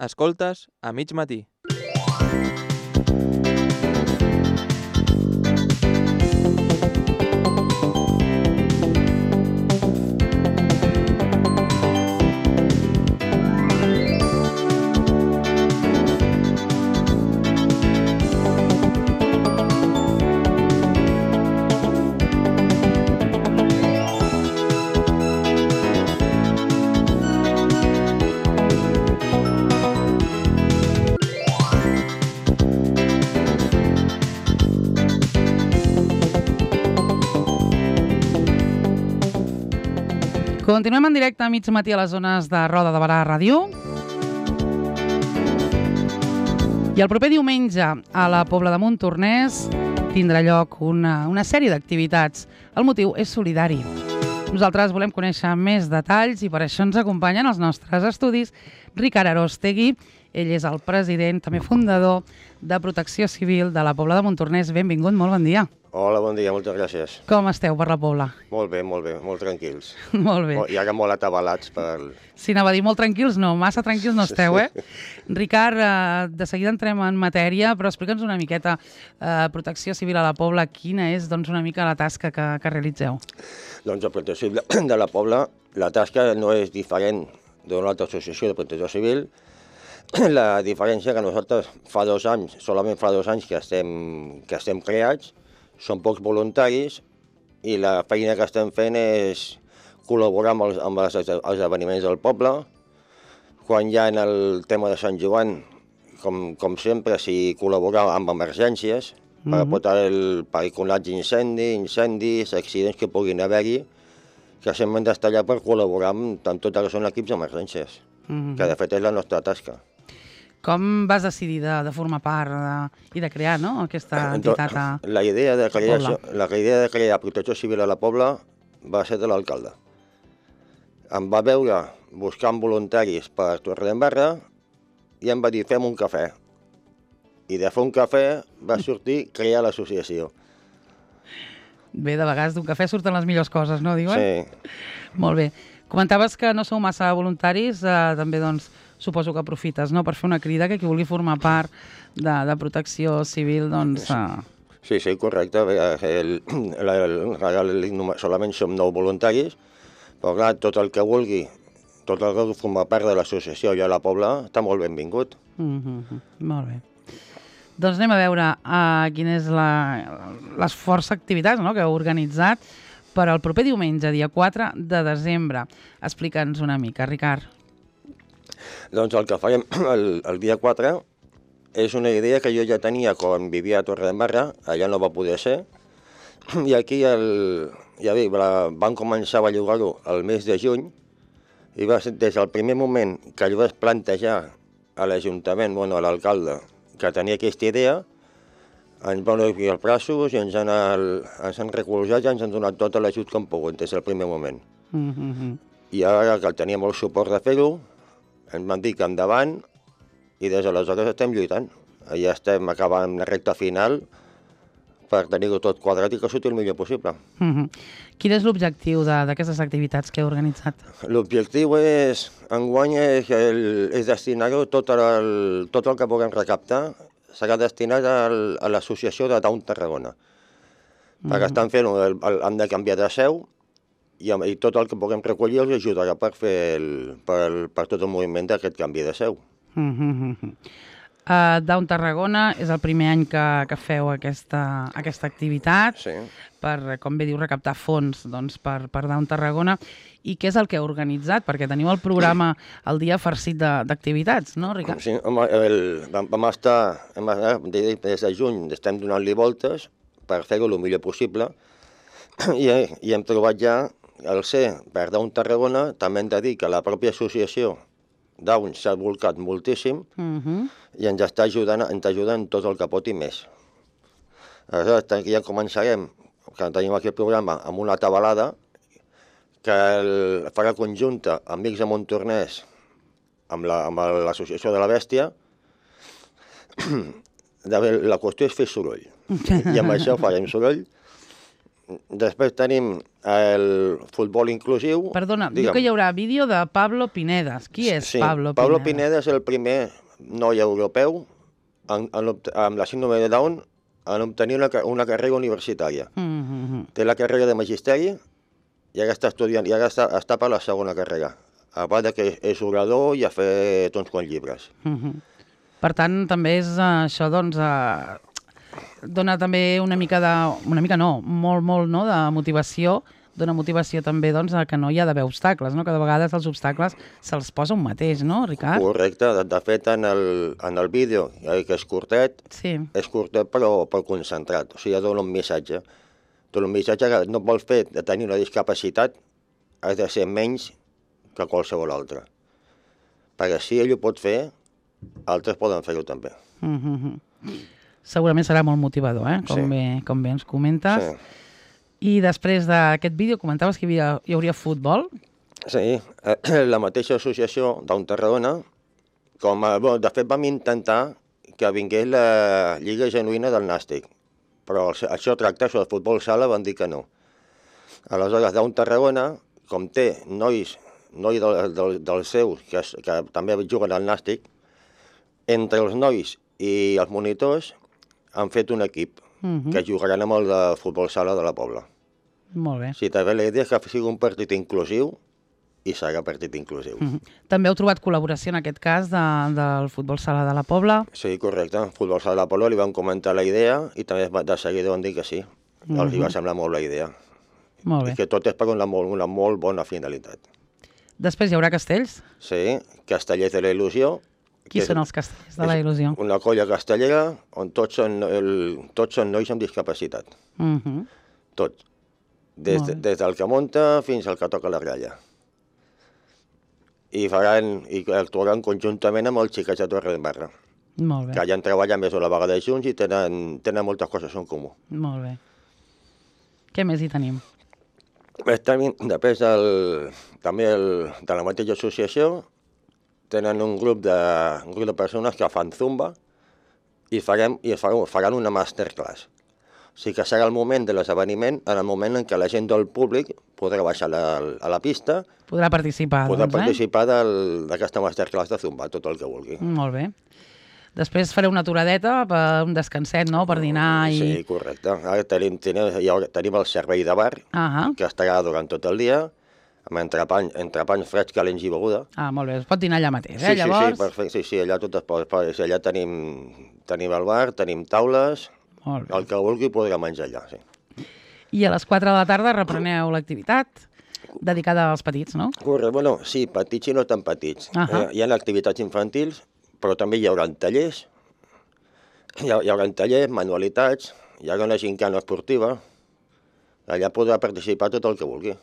Escoltes a mig matí. Continuem en directe a mig matí a les zones de Roda de Barà Ràdio. I el proper diumenge a la Pobla de Montornès tindrà lloc una sèrie d'activitats. El motiu és solidari. Nosaltres volem conèixer més detalls i per això ens acompanyen els nostres estudis Ricard Arostegui. Ell és el president, també fundador de Protecció Civil de la Pobla de Montornès. Benvingut, molt bon dia. Hola, bon dia, moltes gràcies. Com esteu per la Pobla? Molt bé, molt tranquils. Molt bé. I ara molt atabalats per... Sí, anava a dir molt tranquils, no, massa tranquils no esteu, eh? Ricard, de seguida entrem en matèria, però explica'ns una miqueta, Protecció Civil a la Pobla, quina és doncs, una mica la tasca que realitzeu? Doncs a Protecció Civil de la Pobla, la tasca no és diferent d'una altra associació de protecció civil. La diferència que nosaltres solament fa 2 anys que estem creats, són pocs voluntaris i la feina que estem fent és col·laborar amb els esdeveniments del poble. Quan hi ha el tema de Sant Joan, com sempre, s'hi col·labora amb emergències per combatre incendis, accidents que puguin haver-hi, que sempre hem d'estar allà per col·laborar amb tot el que són equips d'emergències, que de fet és la nostra tasca. Com vas decidir de formar part i de crear aquesta entitat a La idea de Pobla? crear Protecció Civil a la Pobla va ser de l'alcalde. Em va veure buscant voluntaris per Torredembarra i em va dir, fem un cafè. I de fer un cafè va sortir crear l'associació. Bé, de vegades d'un cafè surten les millors coses, no, diuen? Sí. Molt bé. Comentaves que no sou massa voluntaris, també doncs suposo que aprofites per fer una crida que qui vulgui formar part de Protecció Civil, doncs... Sí, correcte. Solament som 9 voluntaris, però clar, tot el que vulgui formar part de l'associació i a la Pobla està molt benvingut. Molt bé. Doncs anem a veure quines les forces activitats que heu organitzat per al proper diumenge, dia 4 de desembre. Explica'ns una mica, Ricard. Doncs el que farem el dia 4 és una idea que jo ja tenia quan vivia a Torredembarra, allà no va poder ser, i aquí van començar a bellugar-ho el mes de juny, i va ser des del primer moment que jo vaig plantejar a l'Ajuntament, a l'alcalde, que tenia aquesta idea, ens van obrir els braços i ens han recolzat i ens han donat tot l'ajut que han pogut des del primer moment. I ara que teníem el suport de fer-ho, ens van dir que endavant i des d'aleshores estem lluitant. Ja estem acabant la recta final per tenir-ho tot quadrat i que surti el millor possible. Quin és l'objectiu d'aquestes activitats que heu organitzat? L'objectiu enguany és destinar-ho tot el que puguem recaptar serà destinat a l'associació de Down Tarragona. Perquè estan fent, han de canviar de seu i tot el que puguem recollir els ajudarà per tot el moviment d'aquest canvi de seu. Down Tarragona és el primer any que feu aquesta activitat, per, com bé diu, recaptar fons per Down Tarragona. I què és el que heu organitzat? Perquè teniu el programa el dia farcit d'activitats, no, Ricard? Sí, vam estar, des de juny, estem donant-li voltes per fer-ho el millor possible i hem trobat ja el ser per Down Tarragona. També hem de dir que la pròpia associació Down s'ha volcat moltíssim i ens està ajudant tot el que pot i més. Aleshores, ja començarem, que tenim aquí el programa, amb una tabalada que farà conjunta Amics de Montornès amb l'associació de la Bèstia. La qüestió és fer soroll i amb això farem soroll Després tenim el futbol inclusiu. Perdona, diu que hi haurà vídeo de Pablo Pinedas. Qui és Pablo Pineda? Pablo Pineda és el primer noi europeu amb la síndrome de Down en obtenir una carrera universitària. Té la carrera de magisteri i ara està estudiant, i ara està per la segona carrera. A part que és orador i ha fet uns quants llibres. Per tant, també és això, doncs, dona també una mica no, molt, no, de motivació, dona motivació també, doncs, que no hi ha d'haver obstacles, no? Que de vegades els obstacles se'ls posa un mateix, no, Ricard? Correcte. De fet, en el vídeo, que és curtet, és curtet però concentrat. O sigui, dona un missatge. Dona un missatge que no vols fer de tenir una discapacitat, has de ser menys que qualsevol altre. Perquè si ell ho pot fer, altres poden fer-ho també. Segurament serà molt motivador, com bé ens comentes. Sí. I després d'aquest vídeo comentaves que hi hauria futbol? Sí, la mateixa associació d'Un Tarragona, de fet vam intentar que vingués la Lliga Genuïna del Nàstic, però això tracta sobre el futbol sala, van dir que no. Aleshores, d'Un Tarragona, com té nois dels seus que també juguen al Nàstic, entre els nois i els monitors han fet un equip que jugaran amb el de futbol sala de la Pobla. Molt bé. Sí, també la idea és que sigui un partit inclusiu i serà partit inclusiu. També heu trobat col·laboració en aquest cas del futbol sala de la Pobla? Sí, correcte. El futbol sala de la Pobla li van comentar la idea i també de seguida van dir que sí. Els va semblar molt la idea. Molt bé. I que tot és per una molt bona finalitat. Després hi haurà castells? Sí, Castellers de la Il·lusió. Qui són els castellers de la Il·lusió? Una colla castellera on tots són nois amb discapacitat. Tots. Des del que munta fins al que toca la gralla. I actuaran conjuntament amb els xiquets de Torredembarra. Molt bé. Que ja han treballat més una vegada junts i tenen moltes coses en comú. Molt bé. Què més hi tenim? Després també de la mateixa associació tenen un grup de persones que fan zumba i faran una masterclass. O sigui que serà el moment de l'esdeveniment, en el moment en què la gent del públic podrà baixar a la pista. Podrà participar, Podrà participar d'aquesta masterclass de zumba, tot el que vulgui. Molt bé. Després fareu una aturadeta, un descanset, no?, per dinar i... Sí, correcte. Ara tenim el servei de bar, que estarà durant tot el dia, amb entrepans freds, calents i beguda. Molt bé, es pot dinar allà mateix, llavors? Sí, perfecte. Sí, allà tot es pot. Allà tenim el bar, tenim taules, el que vulgui podrà menjar allà, sí. I a les 4 de la tarda repreneu l'activitat dedicada als petits, no? Correcte, bueno, sí, petits i no tan petits. Hi ha activitats infantils, però també hi haurà tallers, manualitats, hi haurà una gincana esportiva, allà podrà participar tot el que vulgui.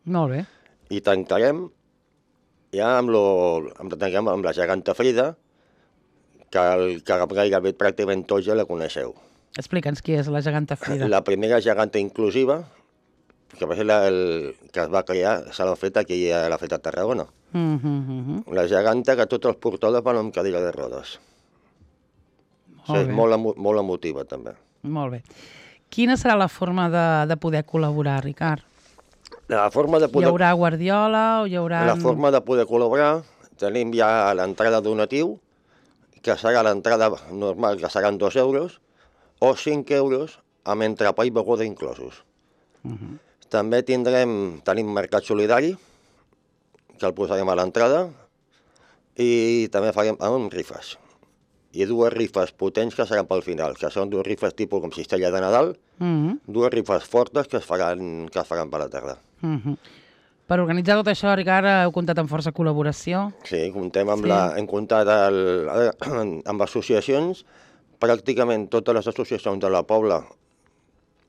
Molt bé. I tancarem ja amb la geganta Frida, que gairebé pràcticament tots ja la coneixeu. Explica'ns qui és la geganta Frida. La primera geganta inclusiva, que va ser que es va crear, se l'ha fet aquí a la Feta de Tarragona. La geganta que tots els portadors van amb cadira de rodes. És molt emotiva, també. Molt bé. Quina serà la forma de poder col·laborar, Ricard? Hi haurà guardiola o hi haurà... La forma de poder col·laborar, tenim ja l'entrada donatiu, que serà l'entrada normal, que seran 2 euros, o 5 euros amb entrepà i beguda inclosos. També tenim mercat solidari, que el posarem a l'entrada, i també farem amb rifes. I 2 rifes potents que seran pel final, que són 2 rifes tipus com cistella de Nadal, 2 rifes fortes que es faran per la tarda. Per organitzar tot això, Ricard, heu comptat amb força col·laboració? Sí, hem comptat amb associacions. Pràcticament totes les associacions de la Pobla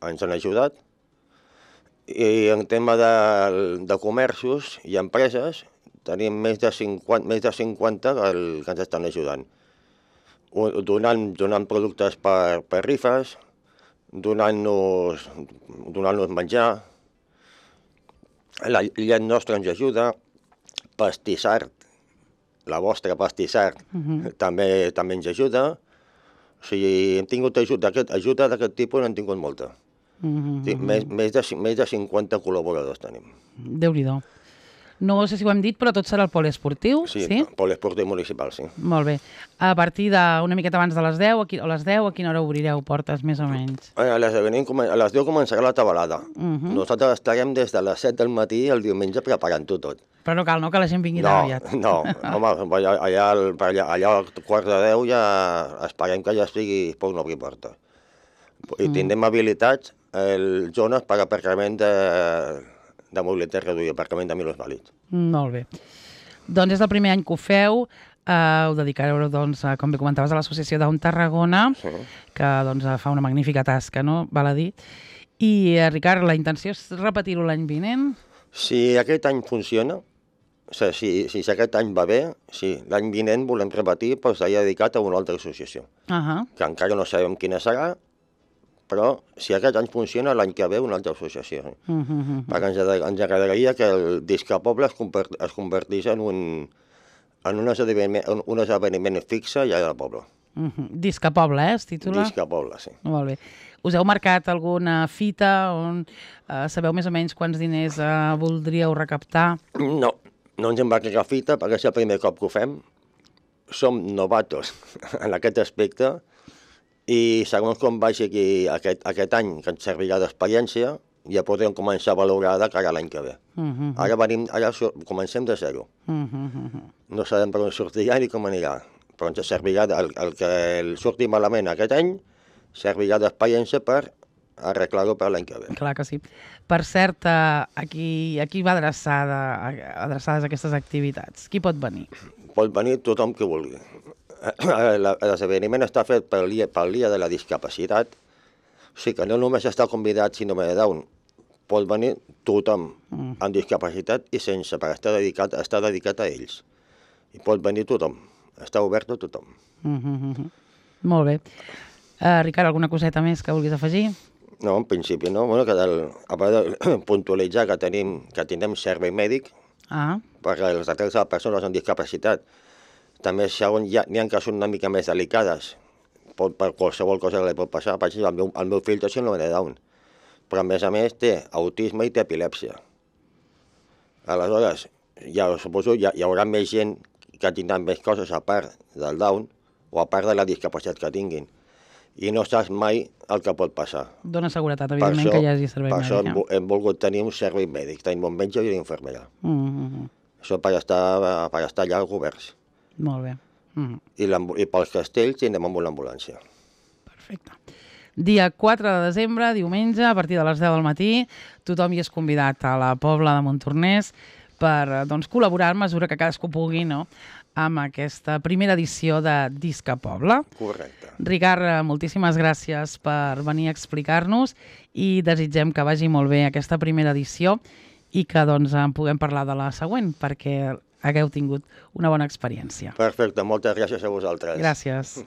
ens han ajudat. I en tema de comerços i empreses tenim més de 50 que ens estan ajudant. Donant productes per rifes, donant-nos menjar. La llet nostra ens ajuda, Pastissart, la vostra Pastissart, també ens ajuda. O sigui, hem tingut ajuda d'aquest tipus, n'hem tingut molta. Sí, més de 50 col·laboradors tenim. Déu-n'hi-do. No sé si ho hem dit, però tot serà el poliesportiu, sí? Sí, poliesportiu municipal, sí. Molt bé. A partir d'una miqueta abans de les 10, o les 10, a quina hora obrireu portes, més o menys? A les 10 començarà la tabalada. Nosaltres estarem des de les 7 del matí el diumenge preparant-ho tot. Però no cal, no?, que la gent vingui tan aviat. No, home, allà al quart de 10 ja esperem que ja estigui pot obrir porta. I tindrem habilitats zones per aparcament de mobilitat reduïda, aparcament de minusvàlids. Molt bé. Doncs és el primer any que ho feu, ho dedicareu, doncs, com bé comentaves, a l'Associació Down Tarragona, que doncs, fa una magnífica tasca, no?, val a dir. I, Ricard, la intenció és repetir-ho l'any vinent? Si aquest any funciona, si aquest any va bé, sí, l'any vinent volem repetir, però serà dedicat a una altra associació, que encara no sabem quina serà, però si aquest any funciona, l'any que ve una altra associació. Perquè ens agradaria que el Disca Poble es convertís en un esdeveniment fixe allà al poble. Disca Poble, es titula? Disca Poble, sí. Molt bé. Us heu marcat alguna fita on sabeu més o menys quants diners voldríeu recaptar? No ens hem marcat cap fita perquè és el primer cop que ho fem. Som novatos en aquest aspecte i segons com vagi aquí aquest any, que ens servirà d'experiència, ja podrem començar a valorar de cara a l'any que ve. Ara comencem de zero. No sabem per on sortirà ni com anirà, però ens servirà, el que surti malament aquest any, servirà d'experiència per arreglar-ho per l'any que ve. Clar que sí. Per cert, aquí va adreçades aquestes activitats. Qui pot venir? Pot venir tothom que vulgui. L'esdeveniment està fet pel dia de la discapacitat, o sigui que no només està convidat síndrome de Down, pot venir tothom amb discapacitat i sense, perquè està dedicat a ells. I pot venir tothom, està obert a tothom. Molt bé. Ricard, alguna coseta més que vulguis afegir? No, en principi no. Bueno, a part de puntualitzar que tindrem servei mèdic per als atenents a les persones amb discapacitat. També n'hi ha que són una mica més delicades, per qualsevol cosa que li pot passar. Per exemple, el meu fill té síndrome de Down, però a més té autisme i té epilèpsia. Aleshores, suposo hi haurà més gent que tindran més coses a part del Down o a part de la discapacitat que tinguin. I no saps mai el que pot passar. Dóna seguretat, evidentment, que hi hagi servei mèdic. Per això hem volgut tenir un servei mèdic, tenim un metge i una infermera. Això per estar allà coberts. Molt bé. I pels castells tindrem amb una ambulància. Perfecte. Dia 4 de desembre, diumenge, a partir de les 10 del matí, tothom hi és convidat a la Pobla de Montornès per col·laborar en mesura que cadascú pugui, no?, amb aquesta primera edició de Disca Poble. Correcte. Ricard, moltíssimes gràcies per venir a explicar-nos i desitgem que vagi molt bé aquesta primera edició i que en puguem parlar de la següent, perquè hagueu tingut una bona experiència. Perfecte, moltes gràcies a vosaltres. Gràcies.